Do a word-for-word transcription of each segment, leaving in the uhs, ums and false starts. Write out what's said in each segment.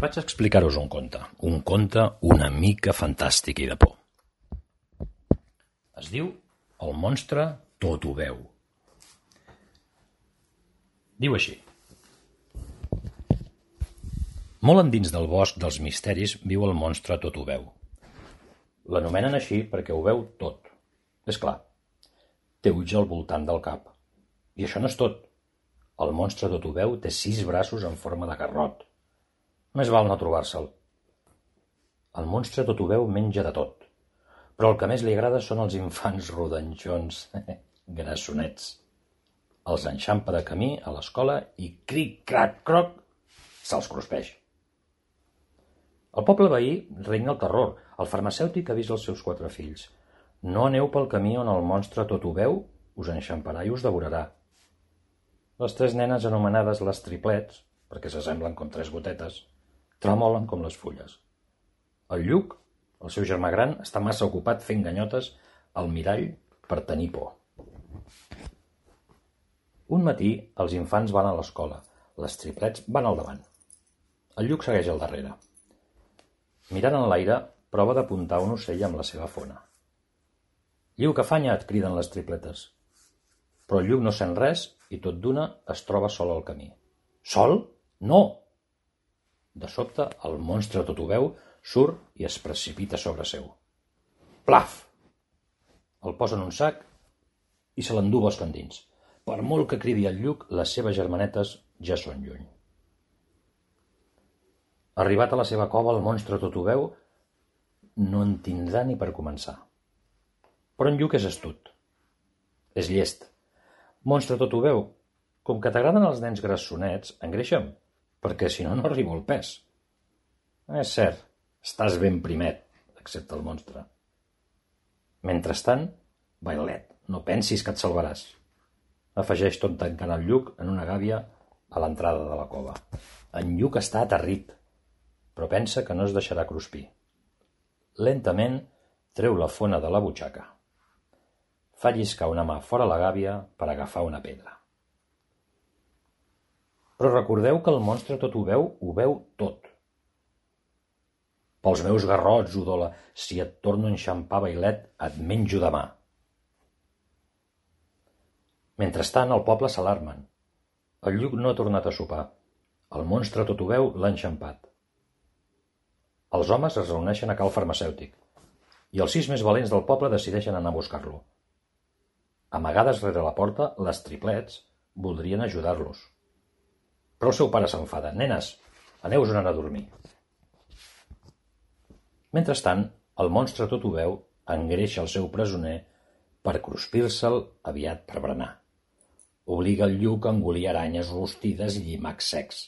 Vaig explicar-vos un conte, un conte una mica fantàstic i de por. Es diu El monstre tot ho veu. Diu així. Molt endins del bosc dels misteris viu el monstre tot ho veu. L'anomenen així perquè ho veu tot. És clar, té ulls al voltant del cap. I això no és tot. El monstre tot ho veu té sis braços en forma de garrot. Més val no trobar-se'l. El monstre tot ho veu menja de tot, però el que més li agrada són els infants rodanxons, grassonets. Els enxampa de camí a l'escola i cric-crac-croc se'ls cruspeix. Al poble veí regna el terror. El farmacèutic avisa els seus quatre fills. No aneu pel camí on el monstre tot ho veu, us enxamparà i us devorarà. Les tres nenes anomenades les triplets, perquè s'assemblen com tres gotetes, tremolen com les fulles. El Lluc, el seu germà gran, està massa ocupat fent ganyotes al mirall per tenir por. Un matí els infants van a l'escola, les triplets van al davant. El Lluc segueix al darrere. Mirant en l'aire, prova d'apuntar un ocell amb la seva fona. «Lluc, afanya't!» criden les tripletes. Però el Lluc no sent res i tot d'una es troba sol al camí. Sol? No! De sobte, el monstre tot ho veu, surt i es precipita sobre seu. Plaf! El posa en un sac i se l'endú bosc endins. Per molt que cridi el Lluc, les seves germanetes ja són lluny. Arribat a la seva cova, el monstre tot ho veu, no en tindrà ni per començar. Però en Lluc és astut. És llest. Monstre tot ho veu, com que t'agraden els nens grassonets, engreixa'm, perquè si no, no arribo al pes. És cert, estàs ben primet, accepta el monstre. Mentrestant, bailet, no pensis que et salvaràs. Afegeix tot tancant el Lluc en una gàbia a l'entrada de la cova. En Lluc està aterrit, però pensa que no es deixarà cruspir. Lentament treu la fona de la butxaca. Fa lliscar una mà fora la gàbia per agafar una pedra. Però recordeu que el monstre tot ho veu, ho veu tot. Pels meus garrots, udola, si et torno a enxampar, bailet, et menjo demà. Mentrestant, al poble s'alarmen. El Lluc no ha tornat a sopar. El monstre tot ho veu l'ha enxampat. Els homes es reuneixen a cal farmacèutic i els sis més valents del poble decideixen anar a buscar-lo. Amagades rere la porta, les triplets voldrien ajudar-los. Però el seu pare s'enfada. Nenes, aneu-vos a dormir. Mentrestant, el monstre tot ho veu engreixa el seu presoner per cruspir-se'l aviat per berenar. Obliga el Lluc a engolir aranyes rostides i llimacs secs.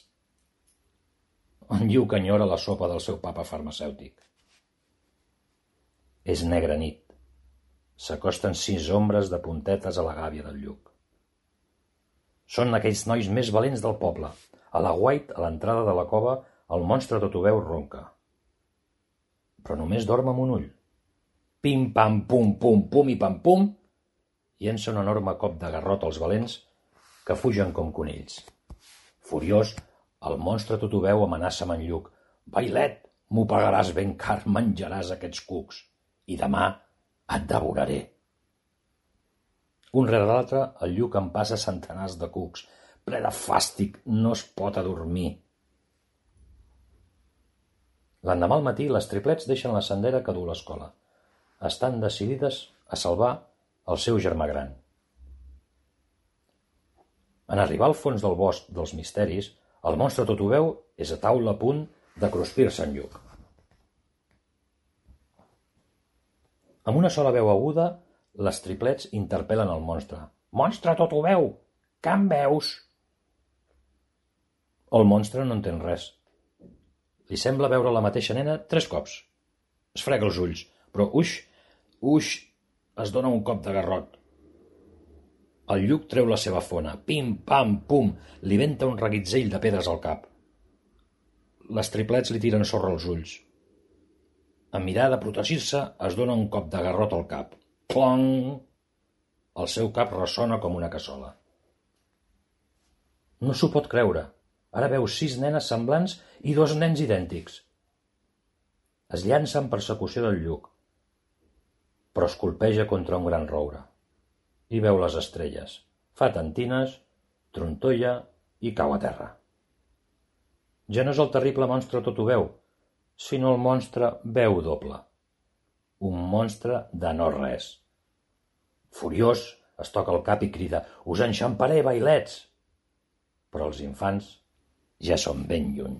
En Lluc enyora la sopa del seu papa farmacèutic. És negra nit. S'acosten sis ombres de puntetes a la gàbia del Lluc. Són aquells nois més valents del poble. A l'aguait, a l'entrada de la cova, el monstre tot ho veu ronca. Però només dorm amb un ull. Pim, pam, pum, pum, pum i pam, pum, llença un enorme cop de garrot als valents que fugen com conills. Furiós, el monstre tot ho veu amenaça amb en Lluc. Bailet, m'ho pagaràs ben car, menjaràs aquests cucs. I demà et devoraré. Un rere l'altre, el Lluc en passa centenars de cucs. Ple de fàstic, no es pot adormir. L'endemà al matí, les triplets deixen la sendera que du a l'escola. Estan decidides a salvar el seu germà gran. En arribar al fons del bosc dels misteris, el monstre tot ho veu és a taula a punt de cruspir-se en Lluc. Amb una sola veu aguda, les triplets interpel·len el monstre. Monstre tot ho veu! Que em veus? El monstre no entén res. Li sembla veure la mateixa nena tres cops. Es frega els ulls, però uix, uix, es dona un cop de garrot. El Lluc treu la seva fona. Pim, pam, pum, li venta un reguitzell de pedres al cap. Les triplets li tiren sorra als ulls. En mirar de protegir-se, es dona un cop de garrot al cap. Clong! El seu cap ressona com una cassola. No s'ho pot creure. Ara veu sis nenes semblants i dos nens idèntics. Es llança en persecució del lluc, però es colpeja contra un gran roure. I veu les estrelles, fa tentines, trontolla i cau a terra. Ja no és el terrible monstre tot ho veu, sinó el monstre veu doble. Un monstre de no res. Furiós, es toca el cap i crida: «Us enxamparé, vailets!» Però els infants ja són ben lluny.